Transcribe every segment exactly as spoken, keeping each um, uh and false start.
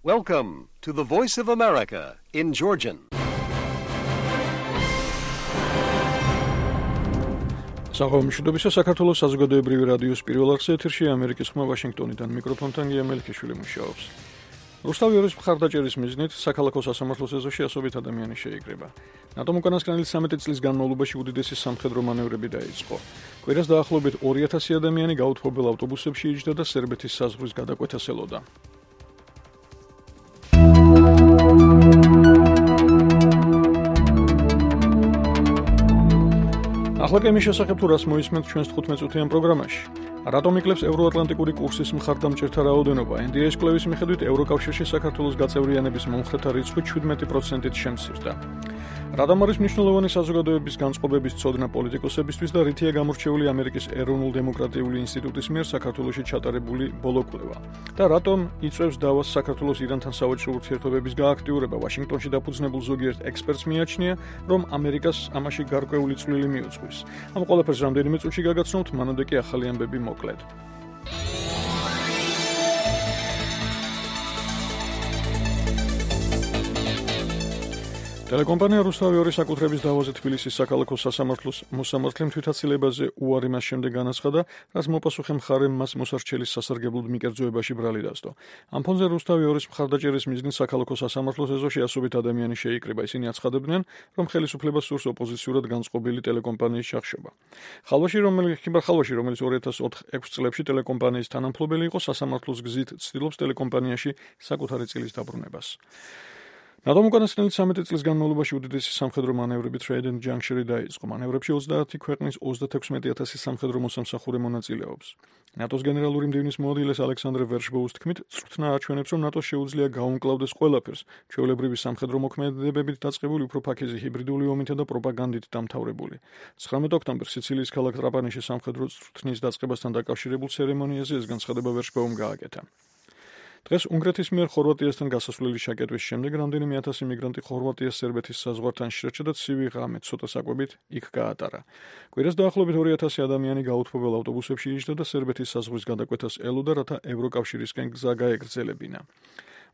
Welcome to the Voice of America in Georgian. Საღამოშიდობისა საქართველოს საზოგადოებრივი რადიოს პირველ არხზე ეთერში ამერიკის ხმა ვაშინგტონიდან მიკროფონთან გია მელიქიშვილი მუშაობს. რუსთავი ორის მხარდაჭერის მიზნით საქალაქო სასამართლოს ეზოში ასობით ადამიანი შეიკრიბა. ნატომ უკანასკნელი ცხრამეტი წლის განმავლობაში უდიდესი სამხედრო მანევრები დაიწყო. კვირას დაახლოებით ორი ათასი ადამიანი გაუთბობელ ავტობუსებში იჯდა და სერბეთის საზღვრის გადაკვეთას ელოდა. ახლა კემის შესახებ თუ რას მოისმენთ ჩვენს თხუთმეტ წუთიან პროგრამაში. რატომ იკლებს ევროატლანტიკური კურსის მხარდამჭერთა რაოდენობა? ენ დი ე-ის კვლევის მიხედვით ევროკავშირში საქართველოს გაწევრიანების მომხრეთა რიცხვი შვიდმეტი პროცენტით შემცირდა. რატომ არის მნიშვნელოვანი საზოგადოების განწყობების ცოდნა პოლიტიკოსებისთვის და რითია გამორჩეული ამერიკის ეროვნულ დემოკრატიული ინსტიტუტის მიერ საქართველოში ჩატარებული ბოლო კვლევა? და რატომ იწვევს დავას საქართველოს ირანთან სავაჭრო ურთიერთობების გააქტიურება? ვაშინგტონში დაფუძნებულ ზოგიერთ ექსპერტს მიაჩნია, რომ ამერიკას ამაში გარკვეული წვლილი მიუძღვის. ამ ყველაფერს რამდენიმე წუთში გაგაცნობთ, მანამდე კი ახალი ამბები მოკლედ. ტელეკომპანია რუსთავი ორის საკუთრების დავაზე თბილისის საქალაქო სასამართლოს მოსამართლემ თვითაცილებაზე უარი მას შემდეგ განაცხადა, რაც მოპასუხე მხარემ მას მოსარჩელის სასარგებლოდ მიკერძოებაში ბრალი დასდო. ამ ფონზე რუსთავი ორის მხარდაჭერის მიზნით საქალაქო სასამართლოს ეზოში ასობით ადამიანი შეიკრიბა. ისინი აცხადებდნენ, რომ ხელისუფლებას სურს ოპოზიციურად განწყობილი ტელეკომპანიის ჩახშობა. ხალვაში, რომელიც ხალვაში, რომელიც ორი ათას ექვსი წლებში ტელეკომპანიის თანამფლობელი იყო, სასამართლოს გზით ცდილობს ტელეკომპანიაში საკუთარი წილის დაბრუნებას. ნატომ უკანასკნელი ცხრამეტი წლის განმავლობაში უდიდესი სამხედრო მანევრები Trident Juncture-ი დაიწყო. მანევრებში ოცდაათი ქვეყნის ოცდათექვსმეტი ათასი სამხედრო მოსამსახურე მონაწილეობს. ნატოს გენერალური მდივნის მოადგილეს ალექსანდრე ვერშბოუს თქმით, წვრთნა აჩვენებს, რომ ნატოს შეუძლია გაუმკლავდეს ყველაფერს, ჩვეულებრივი სამხედრო მოქმედებებით დაწყებული უფრო ფაქიზი ჰიბრიდული ომითა და პროპაგანდით დამთავრებული. ცხრამეტი ოქტომბერს სიცილიის ქალაქ ტრაპანიში სამხედრო წვრთნის დაწყებასთან დაკავშირებულ ცერემონიაზე ეს განცხადება ვერშბოუმ გააკეთა. დღეს უნგრეთის მიერ ხორვატიასთან გასასვლელი შაკეტვის შემდეგ რამდენიმე ათასი მიგრანტი ხორვატიას სერბეთის საზღვართან შეჭრა და ცივი ღამე ცოტა საკვებით იქ გაატარა. კვირას დაახლოებით ორი ათასი ადამიანი გაუთბობელ ავტობუსებში იჯდა და სერბეთის საზღვრის გადაკვეთას ელოდა, რათა ევროკავშირისკენ გზა გაეგრძელებინა.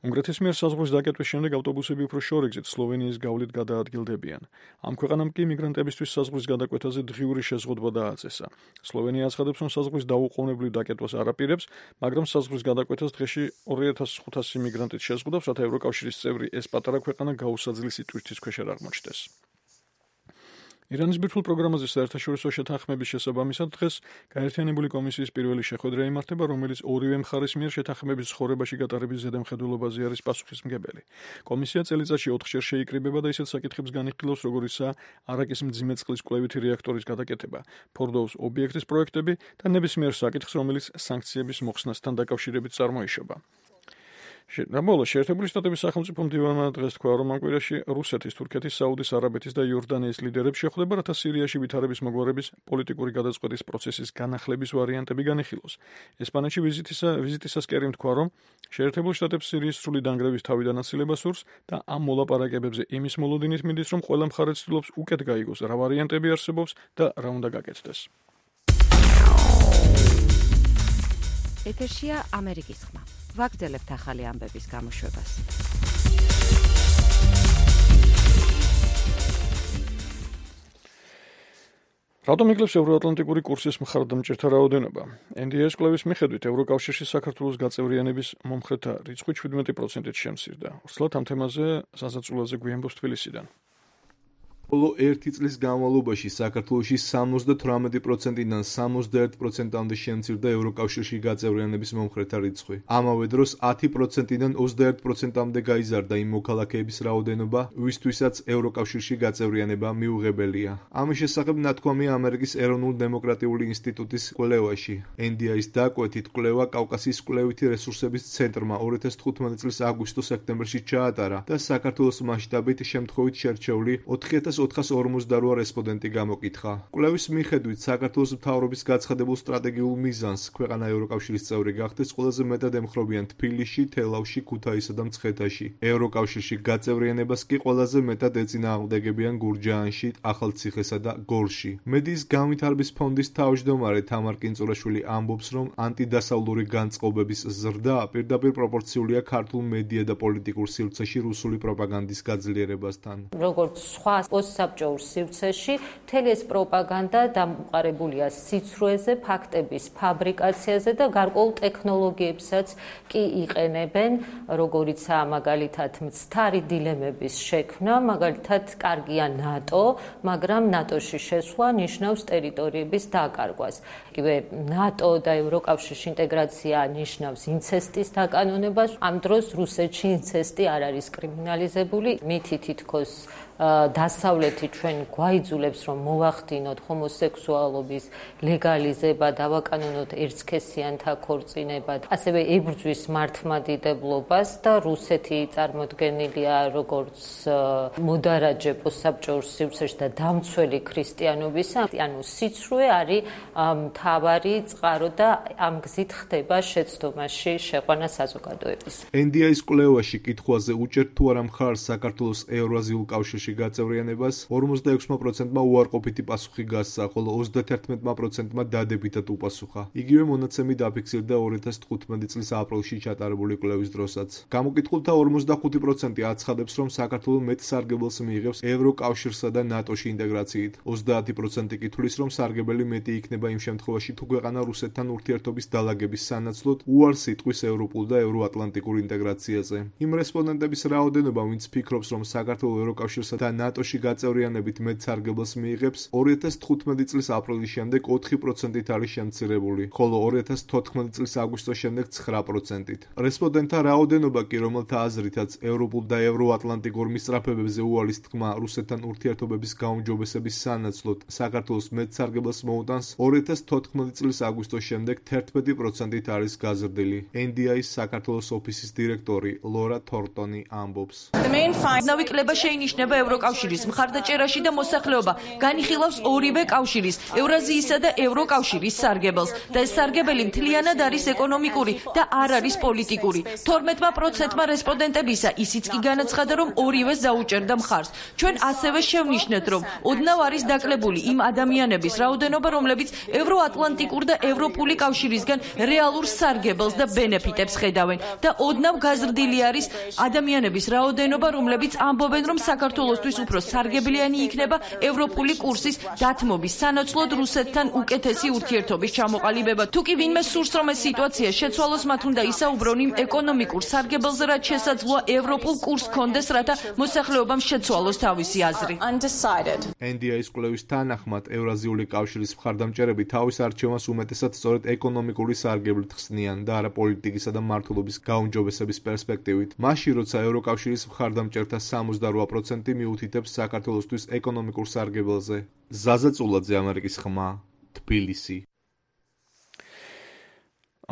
უნგრეთის მიერ საზღვრის დაკეტვის შემდეგ ავტობუსები უფრო შორიგზით სლოვენიის გავლით გადაადგილდებიან. ამ ქვეყანამ კი მიგრანტებისთვის საზღვრის გადაკვეთაზე დღიური შეზღუდვა დააწესა. სლოვენია აცხადებს, რომ საზღვრის დაუყოვნებლივ დაკეტვას არ აპირებს, მაგრამ საზღვრის გადაკვეთას დღეში ორი ათას ხუთასი მიგრანტით შეზღუდავს, რათა ევროკავშირის წევრი ეს პატარა ქვეყანა გაუსაძლისი ტვირთის ქვეშ არ აღმოჩნდეს. ირანის ბირთვულ პროგრამაზე საერთაშორისო შეთანხმების შესაბამისად დღეს გაერთიანებული კომისიის პირველი შეხვედრა იმართება, რომელიც ორივე მხარის მიერ შეთანხმების ცხოვრებაში გატარების ზედამხედველობაზე არის პასუხისმგებელი. კომისია წელიწადში ოთხჯერ შეიკრიბება და ისეთ საკითხებს განიხილავს, როგორიცაა არაკის მძიმე წყლის კვლევითი რეაქტორის გადაკეთება, ფორდოუს ობიექტის პროექტები და ნებისმიერ საკითხს, რომელიც სანქციების მოხსნასთან დაკავშირებით წარმოიშობა. რამბოლო შეერთებული შტატების სახელმწიფო მდივანმა დღეს თქვა, რომ ამ კვირაში რუსეთის, თურქეთის, საუდის არაბეთის და იორდანიის ლიდერებს შეხვდება, რათა სირიაში ვითარების მოგვარების პოლიტიკური გადაწყვეტის პროცესის განახლების ვარიანტები განიხილოს. ესპანეთში ვიზიტისა ვიზიტისას კერიმ თქვა, რომ შეერთებული შტატებს სირიის სრული დანგრევის თავიდან აცილება სურს და ამ მოლაპარაკებებზე იმის მოლოდინით მიდის, რომ ყველა მხარე ცდილობს უკეთ გაიგოს, რა ვარიანტები არსებობს და რა უნდა გაკეთდეს. ეთერშია ამერიკის ხმა. ვაგრძელებთ ახალი ამბების გამოშვებას. რატომ იკლებს ევროატლანტიკური კურსის მხარდამჭერთა რაოდენობა? ენ დი ე-ის კვლევის მიხედვით ევროკავშირში საქართველოს გაწევრიანების მომხრეთა რიცხვი შვიდმეტი პროცენტით შემცირდა. ვრცლად ამ თემაზე საზაწულაზე გვიამბობს თბილისიდან. ბოლო ერთი წლის განმავლობაში საქართველოში სამოცდათვრამეტი პროცენტიდან სამოცდაერთი პროცენტამდე შემცირდა ევროკავშირში გაწევრიანების მომხრეთა რიცხვი. ამავე დროს ათი პროცენტიდან ოცდაერთი პროცენტამდე გაიზარდა იმ მოქალაქეების რაოდენობა, ვისთვისაც ევროკავშირში გაწევრიანება მიუღებელია. ამის შესახებ ნათქვამია ამერიკის ეროვნულ დემოკრატიული ინსტიტუტის კვლევაში. ენ დი ე-ის დაკვეთით კვლევა კავკასიის კვლევითი რესურსების ცენტრმა ორი ათას თხუთმეტი წლის აგვისტო-სექტემბერში ჩაატარა და საქართველოს მასშტაბით შემთხვევით შერჩეული ოთხი ათას ოთხას ორმოცდაორი რესპონდენტი გამოკითხა. კვლევის მიხედვით საქართველოს მთავრობის გაცხადებულ სტრატეგიულ მიზანს ქვეყანა ევროკავშირის წევრი გახდეს ყველაზე მეტად ემხრობიან თბილისში, თელავში, ქუთაისსა და მცხეთაში. ევროკავშირში გაწევრიანებას კი ყველაზე მეტად ეწინააღმდეგებიან გურჯაანში, ახალციხესა და გორში. მედიის განვითარების ფონდის თავმჯდომარე თამარ კინწურაშვილი ამბობს, რომ ანტიდასავლური განწყობების ზრდა პირდაპირ პროპორციულია ქართულ მედია და პოლიტიკურ სივრცეში რუსული პროპაგანდის გაძლიერებასთან. როგორც სხვა პოსტსაბჭოურ სივრცეში, მთელი ეს პროპაგანდა დამყარებულია სიცრუეზე, ფაქტების ფაბრიკაციაზე და გარკვეულ ტექნოლოგიებსაც კი იყენებენ, როგორიცაა მაგალითად მცდარი დილემების შექმნა, მაგალითად კარგია ნატო, მაგრამ ნატოში შესვლა ნიშნავს ტერიტორიების დაკარგვას. იგივე ნატო და ევროკავშირში ინტეგრაცია ნიშნავს ინცესტის დაკანონებას. ამ დროს რუსეთში ინცესტი არ არის კრიმინალიზებული, მითი თითქოს დასავლეთი ჩვენ გვაიძულებს, რომ მოვახდინოთ ჰომოსექსუალობის ლეგალიზება, დავაკანონოთ ერთსქესიანთა ქორწინება, ასევე ებრძვის მართლმადიდებლობას და რუსეთი წარმოდგენილია როგორც მოდარაჯე პოსტსაბჭოურ სივრცეში და დამცველი ქრისტიანობისა, ანუ სიცრუე არის მთავარი წყარო და ამ გზით ხდება შეცდომაში შეყვანა საზოგადოების. ენ დი აის კვლევაში კითხვაზე უჭერთ თუ არა მხარს საქართველოს ევრაზიულ კავშირში გაწევრიანებას ორმოცდაექვსმა პროცენტმა უარყოფითი პასუხი გასცა, ხოლო ოცდათერთმეტმა პროცენტმა დადებითად უპასუხა. იგივე მონაცემი დაფიქსირდა ორი ათას თხუთმეტი წლის აპრილში ჩატარებული კვლევის დროსაც. გამოკითხულთა ორმოცდახუთი პროცენტი აცხადებს, რომ საქართველო მეტ სარგებელს მიიღებს ევროკავშირსა და ნატოში ინტეგრაციით. ოცდაათი პროცენტი კი თვლის, რომ სარგებელი მეტი იქნება იმ შემთხვევაში, თუ ქვეყანა რუსეთთან ურთიერთობის დალაგების სანაცვლოდ უარს იტყვის ევროპულ და ევროატლანტიკურ ინტეგრაციაზე. იმ რესპონდენტების რაოდენობა, ვინც ფიქრობს, რომ საქართველო ევროკავშირსა და ნატოში გაწევრიანებით მეტ სარგებელს მიიღებს, ორი ათას თხუთმეტი წლის აპრილის შემდეგ ოთხი პროცენტით არის შემცირებული, ხოლო ორი ათას თოთხმეტი წლის აგვისტოს შემდეგ ცხრა პროცენტით. რესპონდენტთა რაოდენობა კი, რომელთა აზრითაც ევროპულ და ევროატლანტიკურ მისწრაფებებზე უალის თქმა რუსეთთან ურთიერთობების გაუმჯობესების სანაცვლოდ საქართველოს მეტ სარგებელს მოუტანს, ორი ათას თოთხმეტი წლის აგვისტოს შემდეგ თერთმეტი პროცენტით არის გაზრდილი. ენ დი აის საქართველოს ოფისის დირექტორი ლორა თორტონი ამბობს. ნავი კლება შეინიშნება ევროკავშირის მხარდაჭერაში და მოსახლეობა განიხილავს ორივე კავშირის, ევრაზიისა და ევროკავშირის სარგებელს და ეს სარგებელი მთლიანად არის ეკონომიკური და არ არის პოლიტიკური. თორმეტმა პროცენტმა რესპონდენტებისა ისიც კი განაცხადა, რომ ორივეს დაუჭერდა მხარს. ჩვენ ასევე შევნიშნეთ, რომ ოდნავ არის დაკლებული იმ ადამიანების რაოდენობა, რომლებიც ევროატლანტიკურ და ევროპული კავშირისგან რეალურ სარგებელს და ბენეფიტებს ხედავენ და ოდნავ გაზრდილი არის ადამიანების რაოდენობა, რომლებიც ამბობენ, რომ საქართველოსთვის უფრო სარგებლიანი იქნება ევროპული კურსის დათმობის სანაცვლოდ რუსეთთან უკეთესი ურთიერთობის ჩამოყალიბება. თუ კი ვინმე სურს, რომ ეს სიტუაცია შეცვალოს, მათ უნდა ისაუბრონ იმ ეკონომიკურ სარგებელზე, რაც შესაძლოა ევროპულ კურსს ჰქონდეს, რათა მოსახლეობამ შეცვალოს თავისი აზრი. ენ დი აის კვლევის თანახმად, ევრაზიული კავშირის მხარდამჭერები თავის არჩევანს უმეტესად სწორედ ეკონომიკური სარგებლით ხსნიან და არა პოლიტიკისა და მმართველობის გაუმჯობესების პერსპექტივით. მაშინ, როცა ევროკავშირის მხარდამჭერთა სამოცდარვა პროცენტი მიუთითებს საქართველოსთვის ეკონომიკურ სარგებელზე. ზაზა წულაძე, ამერიკის ხმა, თბილისი.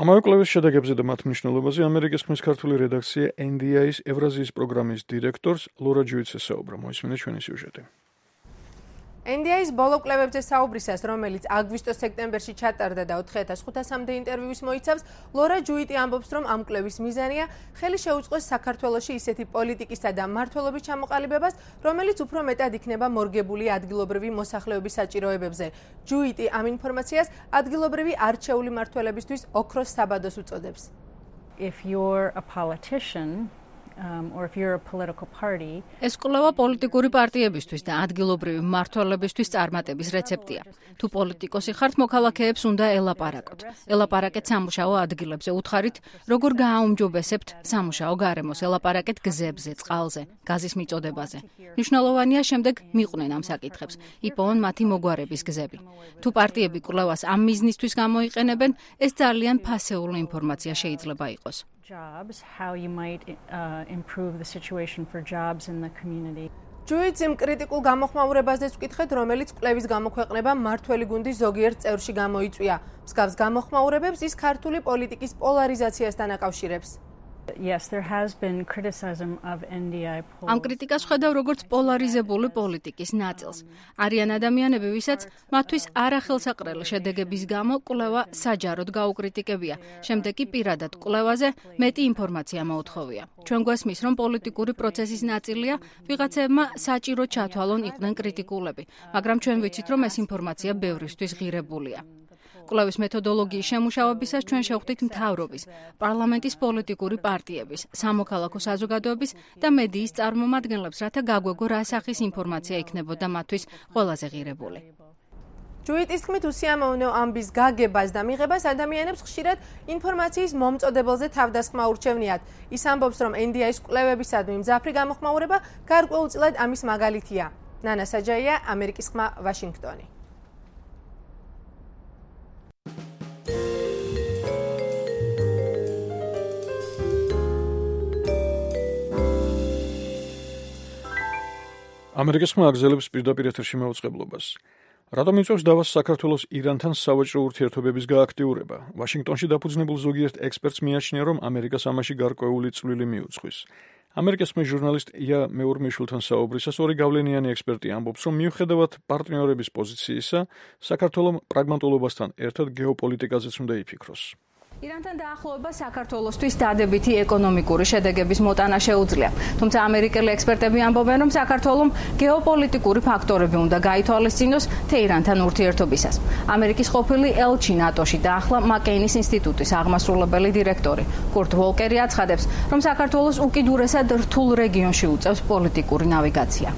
ამავე კვლევის შედეგებზე და მათ მნიშვნელობაზე ამერიკის ხმის ქართული რედაქცია ენ დი აის ევრაზიის პროგრამის დირექტორს ლორა ჯუიცს ესაუბრა. მოისმინეთ ჩვენი სიუჟეტი. ენ დი აის ბოლო კვლევებზე საუბრისას, რომელიც აგვისტო-სექტემბერში ჩატარდა და ოთხი ათას ხუთასამდე ინტერვიუს მოიცავს, ლორა ჯუიტი ამბობს, რომ ამ კვლევის მიზანია ხელი შეუწყოს საქართველოში ისეთი პოლიტიკისა და მმართველობის ჩამოყალიბებას, რომელიც უფრო მეტად იქნება მორგებული ადგილობრივი მოსახლეობის საჭიროებებზე. ჯუიტი ამ ინფორმაციას ადგილობრივი არჩეული მმართველებისთვის ოქროს საბადოს უწოდებს. If you're a politician, Um, or if you're a political party, ეს კვლევა პოლიტიკური პარტიებისთვის და ადგილობრივი მმართველებისთვის წარმატების რეცეპტია. თუ პოლიტიკოსი ხართ, მოქალაქეებს უნდა ელაპარაკოთ. ელაპარაკეთ სამუშაო ადგილებზე, უთხარით, როგორ გააუმჯობესებთ სამუშაო გარემოს, ელაპარაკეთ გზებზე, წყალზე, გაზის მიწოდებაზე. მნიშვნელოვანია შემდეგ მიყვნენ ამ საკითხებს, იპოვონ მათი მოგვარების გზები. თუ პარტიები კვლევას ამ მიზნისთვის გამოიყენებენ, ეს ძალიან ფასეული ინფორმაცია შეიძლება იყოს. jobs, how you might uh, improve the situation for jobs in the community. ჯუიტს იმ კრიტიკულ გამოხმაურებაზეც ვკითხეთ, რომელიც კვლევის გამოქვეყნება მმართველი გუნდის ზოგიერთ წევრში გამოიწვია. მსგავს გამოხმაურებებს ის ქართული პოლიტიკის პოლარიზაციასთან აკავშირებს. Yes, there has been criticism of N D I polls. ამ კრიტიკას ხედავ როგორც პოლარიზებული პოლიტიკის ნაწილს. არიან ადამიანები, ვისაც მათთვის არახელსაყრელი შედეგების გამო კვლევა საჯაროდ გაუკრიტიკებია. შემდეგ კი პირადად კვლევაზე მეტი ინფორმაცია მოუთხოვია. ჩვენ გვესმის, რომ პოლიტიკური პროცესის ნაწილია ვიღაცებმა საჭირო ჩათვალონ იყვნენ კრიტიკულები, მაგრამ ჩვენ ვიცით, რომ ეს ინფორმაცია ბევრისთვის ღირებულია. კვლევის მეთოდოლოგიის შემუშავებისას ჩვენ შევხვდით მთავრობის, პარლამენტის პოლიტიკური პარტიების, სამოქალაქო საზოგადოების და მედიის წარმომადგენლებს, რათა გაგვეგო რა სახის ინფორმაცია იქნებოდა მათთვის ყველაზე ღირებული. ჯუიტის თქმით, უსიამოვნო ამბის გაგებას და მიღებას ადამიანებს ხშირად ინფორმაციის მომწოდებელზე თავდასხმა ურჩევნიათ. ის ამბობს, რომ N D I-ის კვლევებისადმი მძაფრი გამოხმაურება გარკვეულწილად ამის მაგალითია. ნანა საჯაია, ამერიკის ხმა, ვაშინგტონი. ამერიკის ხმა აგზელებს პირდაპირ ეთერში მაუწყებლობას. რატომ იწვევს დავას საქართველოს ირანთან სავაჭრო ურთიერთობების გააქტიურება? ვაშინგტონში დაფუძნებულ ზოგიერთ ექსპერტს მიაჩნია, რომ ამერიკას ამაში გარკვეული წვლილი მიუძღვის. ამერიკის ხმის ჟურნალისტ ია მეურმიშვილთან საუბრისას ორი გავლენიანი ექსპერტი ამბობს, რომ მიუხედავად პარტნიორების პოზიციისა, საქართველოს პრაგმატულობასთან ერთად გეოპოლიტიკაზეც უნდა იფიქროს. ირანთან დაახლოება საქართველოსთვის დადებითი ეკონომიკური შედეგების მოტანა შეუძლია. თუმცა ამერიკელი ექსპერტები ამბობენ, რომ საქართველოს გეოპოლიტიკური ფაქტორები უნდა გაითვალისწინოს თეირანთან ურთიერთობისას. ამერიკის ყოფილი ელჩი ნატოში და ახლა მაკეინის ინსტიტუტის აღმასრულებელი დირექტორი კურტ ვოლკერი აცხადებს, რომ საქართველოს უკიდურესად რთულ რეგიონში უწევს პოლიტიკური ნავიგაცია.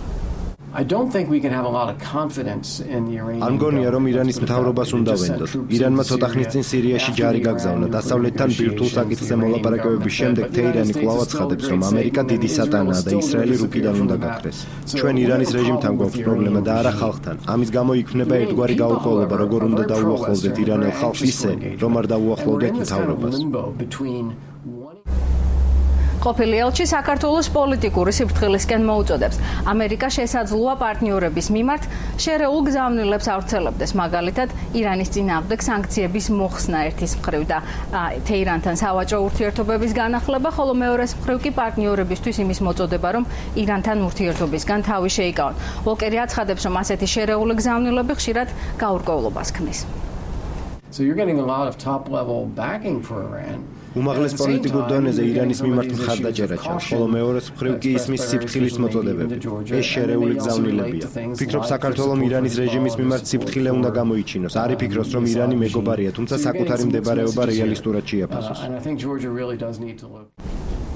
I don't think we can have a lot of confidence in the Iranian. არ მგონია, რომ ირანის მთავრობას უნდა ვენდოთ. ირანმა ცოტა ხნის წინ სირიაში ჯარი გაგზავნა. დასავლეთთან ბირთვულ საკითხზე მოლაპარაკებების შემდეგ თეირანი კვლავ აცხადებს, რომ ამერიკა დიდი სატანაა და ისრაელი რუკიდან უნდა გაქრეს. ჩვენ ირანის რეჟიმთან გვაქვს პრობლემა და არა ხალხთან. ამის გამო იქმნება ერთგვარი გაურკვევლობა, როგორ უნდა დაუახლოვდეთ ირანელ ხალხს ისე, რომ არ დაუახლოვდეთ მთავრობას. ყოფილი ელჩი საქართველოს პოლიტიკური სიფრთხილისკენ მოუწოდებს. ამერიკა შესაძლოა პარტნიორების მიმართ შერეულ გზავნილებს ავრცელებდეს, მაგალითად, ირანის წინააღმდეგ სანქციების მოხსნა ერთის მხრივ და თეირანთან სავაჭრო ურთიერთობების განახლება, ხოლო მეორეს მხრივ კი პარტნიორებისთვის იმის მოწოდება, რომ ირანთან ურთიერთობისგან თავი შეიკავონ. ვოლკერი აცხადებს, რომ ასეთი შერეული გზავნილები ხშირად გაურკვევლობას ქმნის. So you're getting a lot of top-level backing for Iran. უმაღლეს პოლიტიკურ დონეზე ირანის მიმართ მხარდაჭერა ჩანს, ხოლო მეორეს მხრივ კი ისმის სიფრთხილის მოწოდებები. ეს შერეული გზავნილებია. ფიქრობ, საქართველოს ირანის რეჟიმის მიმართ სიფრთხილე უნდა გამოიჩინოს. არ იფიქროს, რომ ირანი მეგობარია, თუმცა საკუთარი მდებარეობა რეალისტურად შეაფასოს.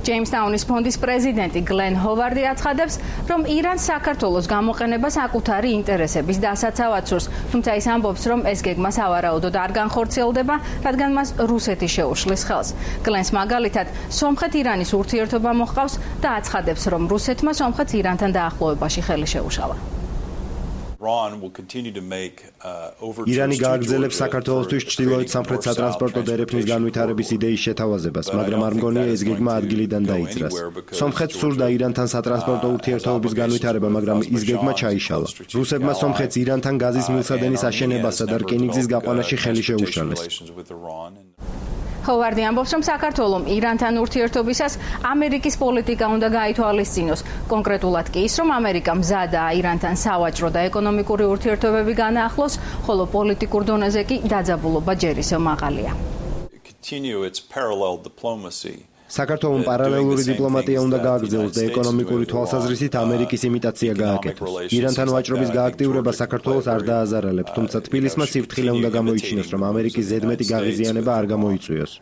ჯეიმსტაუნის ფონდის პრეზიდენტი გლენ ჰოვარდი აცხადებს, რომ ირანს საქართველოს გამოყენება საკუთარი ინტერესების დასაცავად სურს, თუმცა ის ამბობს, რომ ეს გეგმა სავარაუდოდ არ განხორციელდება, რადგან მას რუსეთი შეუშლის ხელს. გლენს მაგალითად, სომხეთ-ირანის ურთიერთობა მოჰყავს და აცხადებს, რომ რუსეთმა სომხეთს ირანთან დაახლოებაში ხელი შეუშალა. ირანი გააგრძელებს საქართველოსთვის ჩრდილოეთ სამხრეთ სატრანსპორტო დერეფნის განვითარების იდეის შეთავაზებას, მაგრამ არ მგონია ეს გეგმა ადგილიდან დაიძრას. სომხეთს სურდა ირანთან სატრანსპორტო ურთიერთობების განვითარება, მაგრამ ის გეგმა ჩაიშალა. რუსებმა სომხეთს ირანთან გაზის მილსადენის აშენებასა და რკინიგზის გაყვანაში ხელი შეუშალეს. ჰოვარდი ამბობს, რომ საქართველოს ირანთან ურთიერთობისას ამერიკის პოლიტიკა უნდა გაითვალისწინოს. კონკრეტულად კი ის, რომ ამერიკა მზადაა ირანთან სავაჭრო და ეკონომიკური ურთიერთობები განაახლოს, ხოლო პოლიტიკურ დონეზე კი დაძაბულობა ჯერ ისევ მაღალია. საქართველოს პარალელური დიპლომატია უნდა გააგრძელოს და ეკონომიკური თვალსაზრისით ამერიკის იმიტაცია გააკეთოს. ირანთან ვაჭრობის გააქტიურება საქართველოს არ დააზარალებს, თუმცა თბილისმა სიფრთხილე უნდა გამოიჩინოს, რომ ამერიკის ზედმეტი გაღიზიანება არ გამოიწვიოს.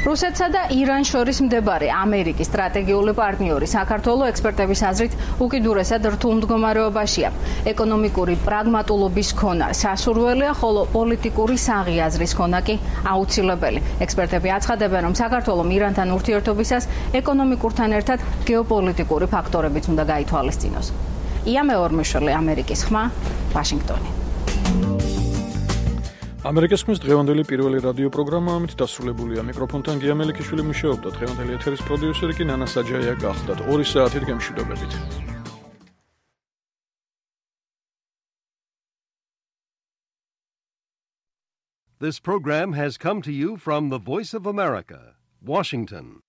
რუსეთსა და ირანს შორის მდებარე ამერიკის სტრატეგიული პარტნიორი საქართველოს ექსპერტების აზრით უკიდურესად რთულ მდგომარეობაშია. ეკონომიკური პრაგმატულობის ქონა სასურველია, ხოლო პოლიტიკური საღიაზრის ქონა კი აუცილებელი. ექსპერტები აცხადებენ, რომ საქართველოს ირანთან ურთიერთობისას ეკონომიკურთან ერთად გეოპოლიტიკური ფაქტორებიც უნდა გაითვალისწინოს. ია მეორმიშვილი, ამერიკის ხმა, ვაშინგტონი. ამერიკის ხმის დღევანდელი პირველი რადიო პროგრამა ამით დასრულებულია. მიკროფონთან გია მელიქიშვილი მუშაობდა. დღევანდელი ეთერის პროდიუსერი კი ნანა საჯაია გახლდათ. ორი საათით გემშვიდობებით. This program has come to you from the Voice of America, Washington.